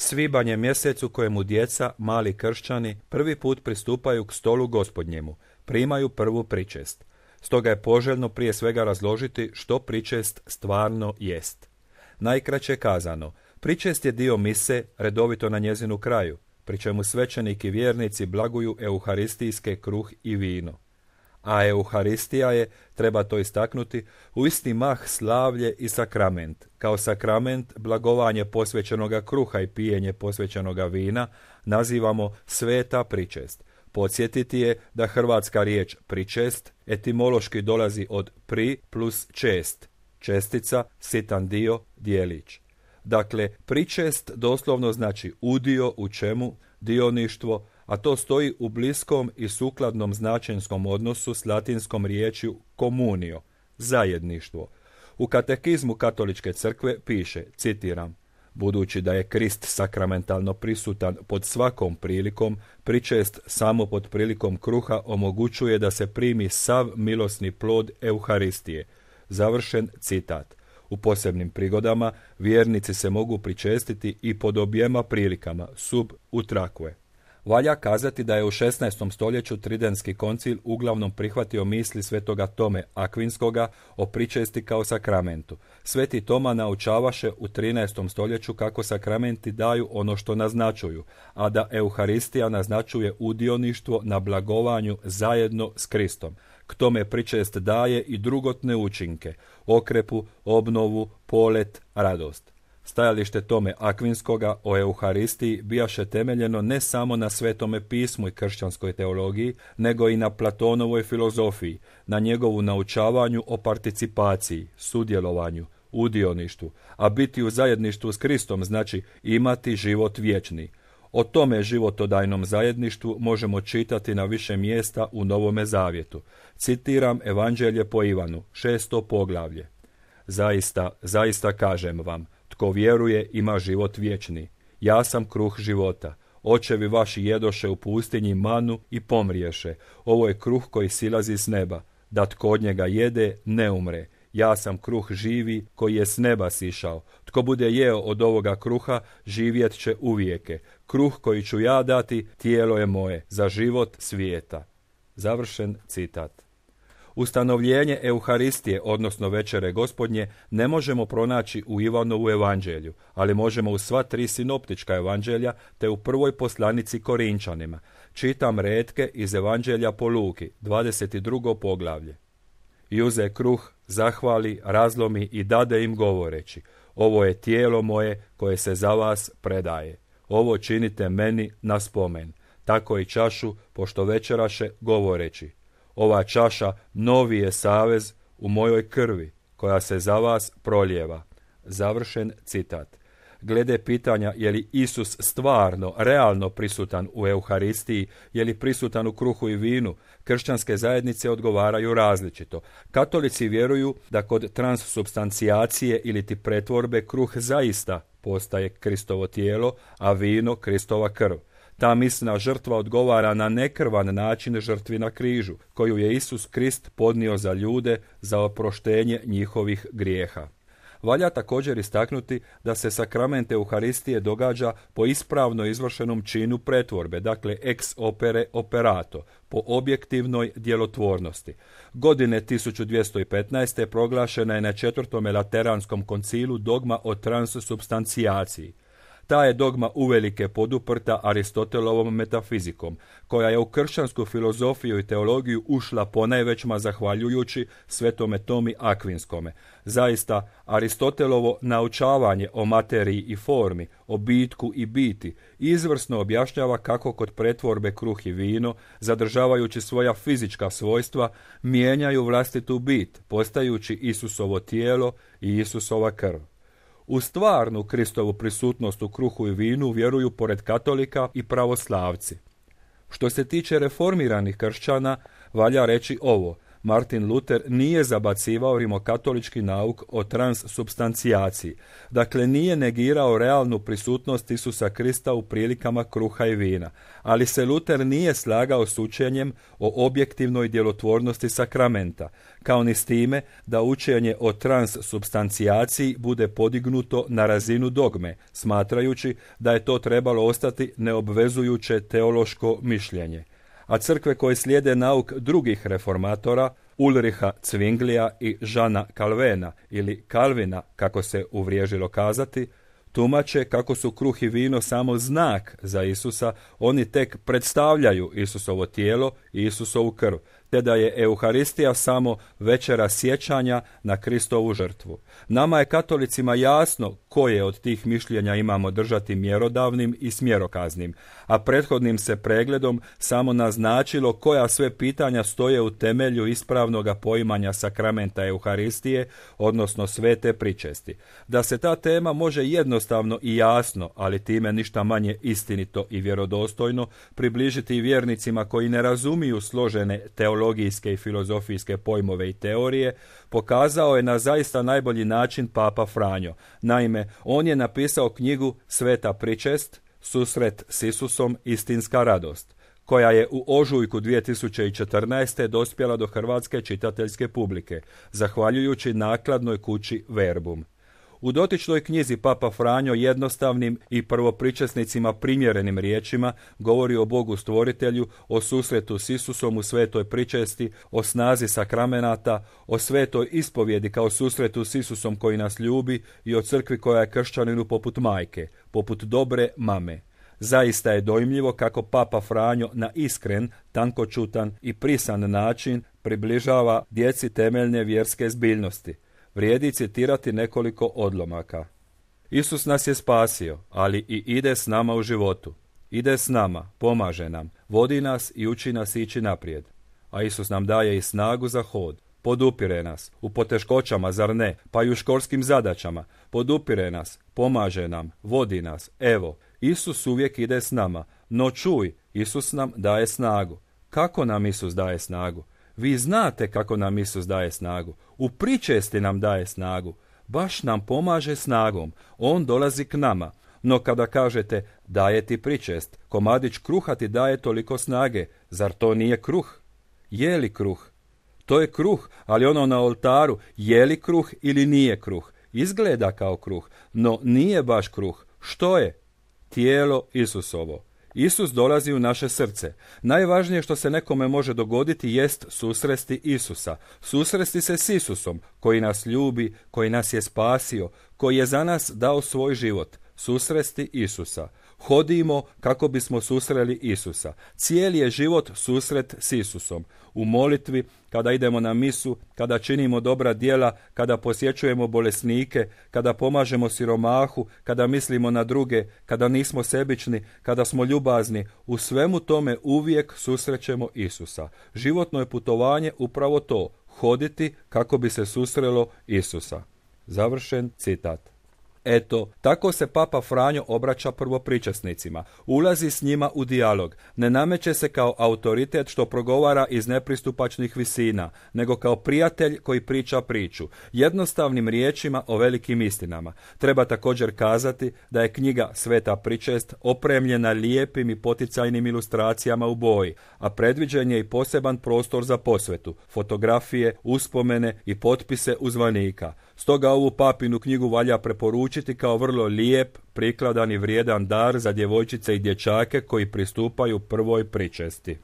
Svibanj je mjesec u kojemu djeca, mali kršćani, prvi put pristupaju k stolu Gospodnjemu, primaju prvu pričest. Stoga je poželjno prije svega razložiti što pričest stvarno jest. Najkraće kazano, pričest je dio mise redovito na njezinu kraju, pri čemu svećenik i vjernici blaguju euharistijske kruh i vino. A euharistija je, treba to istaknuti, u isti mah slavlje i sakrament. Kao sakrament blagovanje posvećenoga kruha i pijenje posvećenoga vina nazivamo sveta pričest. Podsjetiti je da hrvatska riječ pričest etimološki dolazi od pri plus čest, čestica, sitan dio, dijelić. Dakle, pričest doslovno znači udio u čemu, dioništvo, a to stoji u bliskom i sukladnom značenskom odnosu s latinskom riječju communio, zajedništvo. U katekizmu Katoličke crkve piše, citiram, budući da je Krist sakramentalno prisutan pod svakom prilikom, pričest samo pod prilikom kruha omogućuje da se primi sav milosni plod Euharistije. Završen citat. U posebnim prigodama vjernici se mogu pričestiti i pod objema prilikama, sub utraque. Valja kazati da je u 16. stoljeću Tridentski koncil uglavnom prihvatio misli svetoga Tome Akvinskoga o pričesti kao sakramentu. Sveti Toma naučavaše u 13. stoljeću kako sakramenti daju ono što naznačuju, a da Euharistija naznačuje udioništvo na blagovanju zajedno s Kristom. K tome pričest daje i drugotne učinke, okrepu, obnovu, polet, radost. Stajalište Tome Akvinskoga o Euharistiji bijaše temeljeno ne samo na Svetome pismu i kršćanskoj teologiji, nego i na Platonovoj filozofiji, na njegovu naučavanju o participaciji, sudjelovanju, udioništvu, a biti u zajedništvu s Kristom znači imati život vječni. O tome životodajnom zajedništvu možemo čitati na više mjesta u Novome Zavjetu. Citiram Evanđelje po Ivanu, 6. poglavlje. Zaista kažem vam, tko vjeruje ima život vječni. Ja sam kruh života. Očevi vaši jedoše u pustinji manu i pomriješe. Ovo je kruh koji silazi s neba. Da tko od njega jede, ne umre. Ja sam kruh živi koji je s neba sišao. Tko bude jeo od ovoga kruha, živjet će uvijeke. Kruh koji ću ja dati, tijelo je moje, za život svijeta. Završen citat. Ustanovljenje Euharistije, odnosno večere Gospodnje, ne možemo pronaći u Ivanovu evanđelju, ali možemo u sva 3 sinoptička evanđelja te u prvoj poslanici Korinčanima. Čitam retke iz evanđelja po Luki, 22. poglavlje. I uze kruh, zahvali, razlomi i dade im govoreći, ovo je tijelo moje koje se za vas predaje. Ovo činite meni na spomen. Tako i čašu, pošto večeraše, govoreći, ova čaša novi je savez u mojoj krvi, koja se za vas prolijeva. Završen citat. Glede pitanja je li Isus stvarno, realno prisutan u Euharistiji, je li prisutan u kruhu i vinu, kršćanske zajednice odgovaraju različito. Katolici vjeruju da kod transsubstancijacije ili ti pretvorbe kruh zaista postaje Kristovo tijelo, a vino Kristova krv. Ta misna žrtva odgovara na nekrvan način žrtvi na križu, koju je Isus Krist podnio za ljude za oproštenje njihovih grijeha. Valja također istaknuti da se sakrament Euharistije događa po ispravno izvršenom činu pretvorbe, dakle ex opere operato, po objektivnoj djelotvornosti. Godine 1215. proglašena je na 4. Lateranskom koncilu dogma o transsubstancijaciji. Ta je dogma uvelike poduprta Aristotelovom metafizikom, koja je u kršćansku filozofiju i teologiju ušla ponajvećma zahvaljujući Svetome Tomi Akvinskome. Zaista, Aristotelovo naučavanje o materiji i formi, o bitku i biti, izvrsno objašnjava kako kod pretvorbe kruh i vino, zadržavajući svoja fizička svojstva, mijenjaju vlastitu bit, postajući Isusovo tijelo i Isusova krv. U stvarnu Kristovu prisutnost u kruhu i vinu vjeruju pored katolika i pravoslavci. Što se tiče reformiranih kršćana, valja reći ovo, Martin Luther nije zabacivao rimokatolički nauk o transsubstancijaciji. Dakle, nije negirao realnu prisutnost Isusa Krista u prilikama kruha i vina. Ali se Luther nije slagao s učenjem o objektivnoj djelotvornosti sakramenta, kao ni s time da učenje o transsubstancijaciji bude podignuto na razinu dogme, smatrajući da je to trebalo ostati neobvezujuće teološko mišljenje. A crkve koje slijede nauk drugih reformatora, Ulriha Zwinglija i Žana Calvena, ili Kalvina, kako se uvriježilo kazati, tumače kako su kruh i vino samo znak za Isusa, oni tek predstavljaju Isusovo tijelo i Isusovu krv, te da je Euharistija samo večera sjećanja na Kristovu žrtvu. Nama je katolicima jasno koje od tih mišljenja imamo držati mjerodavnim i smjerokaznim, a prethodnim se pregledom samo naznačilo koja sve pitanja stoje u temelju ispravnoga poimanja sakramenta Euharistije, odnosno svete pričesti. Da se ta tema može jednostavno i jasno, ali time ništa manje istinito i vjerodostojno, približiti i vjernicima koji ne razumiju složene teologijske i filozofijske pojmove i teorije, pokazao je na zaista najbolji način Papa Franjo. Naime, on je napisao knjigu Sveta pričest, susret s Isusom, istinska radost, koja je u ožujku 2014. dospjela do hrvatske čitateljske publike, zahvaljujući nakladnoj kući Verbum. U dotičnoj knjizi Papa Franjo jednostavnim i prvopričesnicima primjerenim riječima govori o Bogu stvoritelju, o susretu s Isusom u svetoj pričesti, o snazi sakramenata, o svetoj ispovjedi kao susretu s Isusom koji nas ljubi i o crkvi koja je kršćaninu poput majke, poput dobre mame. Zaista je dojmljivo kako Papa Franjo na iskren, tankočutan i prisan način približava djeci temeljne vjerske zbiljnosti. Vrijedi citirati nekoliko odlomaka. Isus nas je spasio, ali i ide s nama u životu. Ide s nama, pomaže nam, vodi nas i uči nas ići naprijed. A Isus nam daje i snagu za hod. Podupire nas, u poteškoćama, zar ne, pa i u školskim zadaćama. Podupire nas, pomaže nam, vodi nas. Evo, Isus uvijek ide s nama. No čuj, Isus nam daje snagu. Kako nam Isus daje snagu? Vi znate kako nam Isus daje snagu. U pričesti nam daje snagu. Baš nam pomaže snagom. On dolazi k nama. No kada kažete daje ti pričest, komadić kruha ti daje toliko snage. Zar to nije kruh? Je li kruh? To je kruh, ali ono na oltaru, je li kruh ili nije kruh? Izgleda kao kruh, no nije baš kruh. Što je? Tijelo Isusovo. Isus dolazi u naše srce. Najvažnije što se nekome može dogoditi jest susresti Isusa. Susresti se s Isusom, koji nas ljubi, koji nas je spasio, koji je za nas dao svoj život. Susresti Isusa. Hodimo kako bismo susreli Isusa. Cijeli je život susret s Isusom. U molitvi, kada idemo na misu, kada činimo dobra djela, kada posjećujemo bolesnike, kada pomažemo siromahu, kada mislimo na druge, kada nismo sebični, kada smo ljubazni, u svemu tome uvijek susrećemo Isusa. Životno je putovanje upravo to, hoditi kako bi se susrelo Isusa. Završen citat. Eto, tako se Papa Franjo obraća prvopričesnicima, ulazi s njima u dijalog, ne nameće se kao autoritet što progovara iz nepristupačnih visina, nego kao prijatelj koji priča priču, jednostavnim riječima o velikim istinama. Treba također kazati da je knjiga Sveta pričest opremljena lijepim i poticajnim ilustracijama u boji, a predviđen je i poseban prostor za posvetu, fotografije, uspomene i potpise uzvanika. Stoga ovu papinu knjigu valja preporučiti kao vrlo lijep, prikladan i vrijedan dar za djevojčice i dječake koji pristupaju prvoj pričesti.